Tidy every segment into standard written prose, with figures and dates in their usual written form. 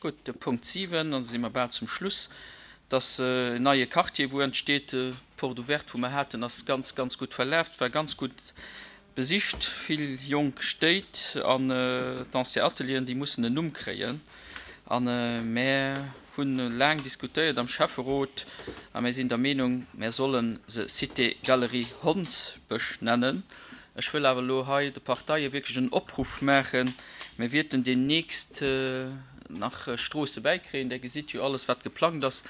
Gutt, de Punkt 7, an da si mer bal zum Schluss, dass en neie Quartier, wou entsteet, d'Porte ouverte, wou mer haten, ass ganz, ganz gutt verlaf, war ganz gutt besicht, vill jonk Stéit an d'ancien Atelieren, déi mussen en Numm kréien. A mär hu laang diskutéiert am Schäfferot a mär sinn der Meenung, mär solle se Cité Galerie Hondsbësch nennen. Ech wëll awer elo hei de Parteie wierklech en Opruff maachen, Mir wierten deemnächst nach Stroosse bäikréien. Der gesitt jo alles, wat geplangt ass.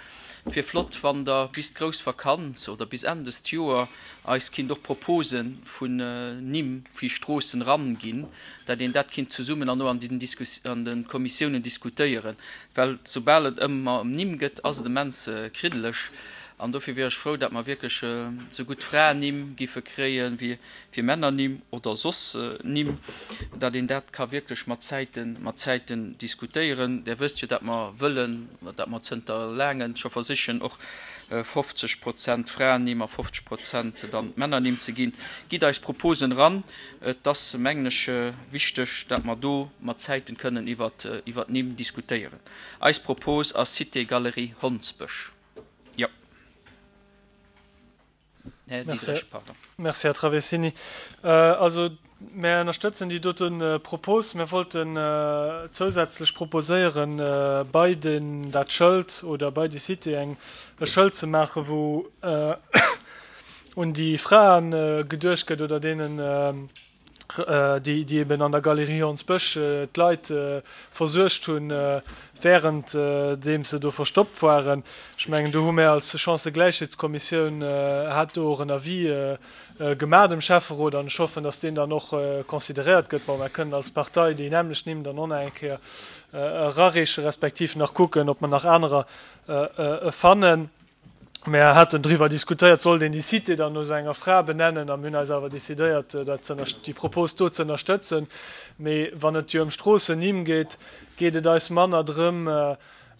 Et wier flott, wann Der bis d'grouss Vakanz oder bis Enn dëst Joer eis kinnt och Propose vun Nimm fir Stroossen eranginn, dat een dat kinnt zesummen an och an den an de Kommissiounen diskutéieren. Well soubal et ëmmer ëm Nimm gëtt, ass et immens kriddeleg. An dofir wier ech frou, dat mer wierklech esou gutt Fraennimm giffe kréien, wéi fir Männernimm oder soss Nimm, dat een dat ka wierklech mat Zäiten, mat Zäiten diskutéieren. Der wësst jo, dat mer wëllen, dat mer zënter laangen scho versichen, och 50 Prozent Fraennimm a 50 Prozent dann Männernimm ze ginn. Gitt eis Proposen eran. Et ass, mengen ech, wichteg, dat mer do mat Zäiten kënnen iwwert, iwwert Nimm diskutéieren. Eis Propos ass Cité Galerie Hondsbësch. Jo. Här Diderich, pardon. Merci, Här Traversini. Also, mär ënnerstëtzen déi dote Propos. Mir wollten zousätzlech proposéieren, bei den, dat Schëld oder bei déi Cité eng, e Schëld ze maachen, wou un déi Frae geduecht gëtt oder deenen, déi déi eben an der Galerie Hondsbësch d'Leit versuergt hunn, während deem se do verstoppt waren. Ech mengen, do hu mär als Chancëgläichheetskommissioun hat do och en Avis gemaach dem Schäfferot an ech hoffen, datt deen dann och consideréiert gëtt. Bon, mär kënnen als Partei déi nämmlecht Nimm dann och nach eng Kéier erareechen, respektiv nach kucken, ob mer nach anerer fannen. Mär haten driwwer diskutéiert, sollt een déi Cité dann no esou enger Fra benennen, a mir hunn eis awer decidéiert, dat ze déi Propos do ze ënnerstëtzen. Mee wann et jo ëm Stroossennimm geet, geet et eis manner drëm,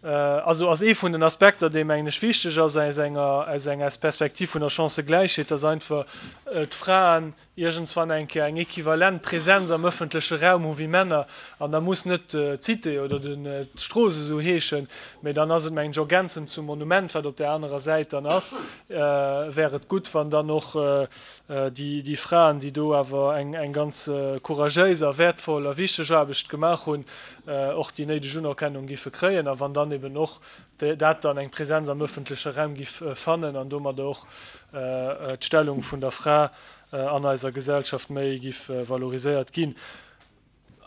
also ass ee vun den Aspekter, dee mengen ech wichteg ass aus enger aus enger Perspektiv vun der Chancëgläichheet, dass einfach d'Fraen iergendswann eng Kéier eng equivalent Präsenz am ëffentleche Raum hu wéi Männer, an da muss net d'Cité oder d'Strooss esou heeschen, mä dann ass et, mengen ech, ergänzend zum Monument, wat op där anerer Säit dann ass, wär et gutt, wann dann och déi Fraen, déi do awer eng ganz couragéis a wäertvoll a wichteg Aarbecht gemaach hunn, och déi néideg Unerkennung géife kréien a wann dann eben och dat dann eng Präsenz am öffentleche Raum giff fannen an domadder och d'Stellung vun der Fra an eiser Gesellschaft méi giff valoriséiert ginn.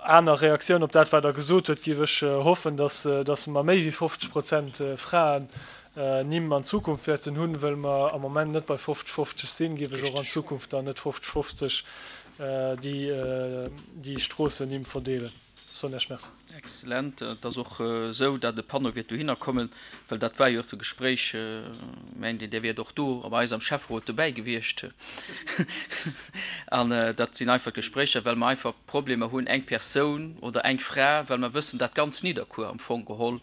Aner Reaktioun op dat, wat Der gesot huet, giff ech hoffen, dass dass mer méi wéi 50 Prozent Fraen Nimm an Zukunft wäerten hunn, wëll mer am Moment net bei 50, 50 sinn, giff ech och an Zukunft dann net 50, 50 déi déi Stroossennimm verdeelen. Soen Iech Merci. Excellent. Et ass och esou, datt e Panneau wäert dohinner kommen, well dat war jo och de Gespréich, mengt een, Där wiert och do bei eis am Schäfferot dobäi gewiescht. An dat sinn einfach d'Gespréicher, well mer einfach Problemer hunn, eng Persoun oder eng Fra, well mer wëssen, dat ganz Nidderkuer am Fong geholl,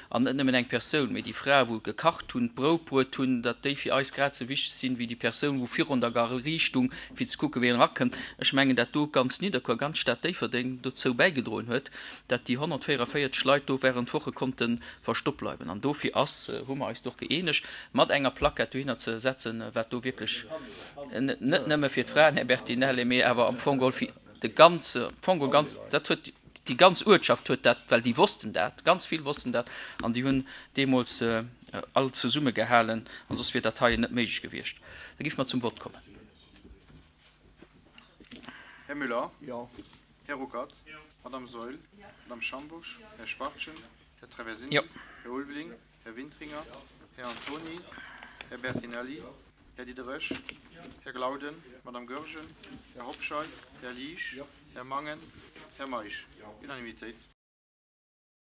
an net nëmmen eng Persoun, mee déi Frae wou gekacht hunn, d'Brout bruet hunn, datt déi fir eis grad esou wichteg sinn, wéi déi Persoun wou virun der Galerie stung, fir ze kucken, wien erakënnt. Ech mengen, dat do ganz Nidderkuer, ganz Stad Déifferdeng dozou bäigedroen huet, dat déi 144 Leit do während Woche konnte verstoppt bleiwen. An dofir ass, hu mer eis do och gëeenegt, mat enger Plaquette dohinner ze setzen, wat do wierklech net nëmme fir d'Fraen, Här Bertinelli, mee awer am Fong geholl fir de ganze, am Fong geholl ganz, dat huet déi ganz Uertschaft huet dat, well déi wossten dat, ganz vill wossten dat an déi hunn deemools all zesummegehalen an soss wier dat heien net méiglech gewiescht. Da géife mer zum Vott kommen. Här Müller? Jo. Här Ruckert? Jo. Madame Saeul? Jo. Madame Schambusch? Jo. Här Schwachtgen? Här Traversini? Jo. Här Ulveling? Här Wintringer? Här Antoni? Här Bertinelli? Här Diderich? Här Glauden? Madame Goergen? Här Hobscheit? Här Liesch? Här Mangen? Här Meisch? Unanimitéit.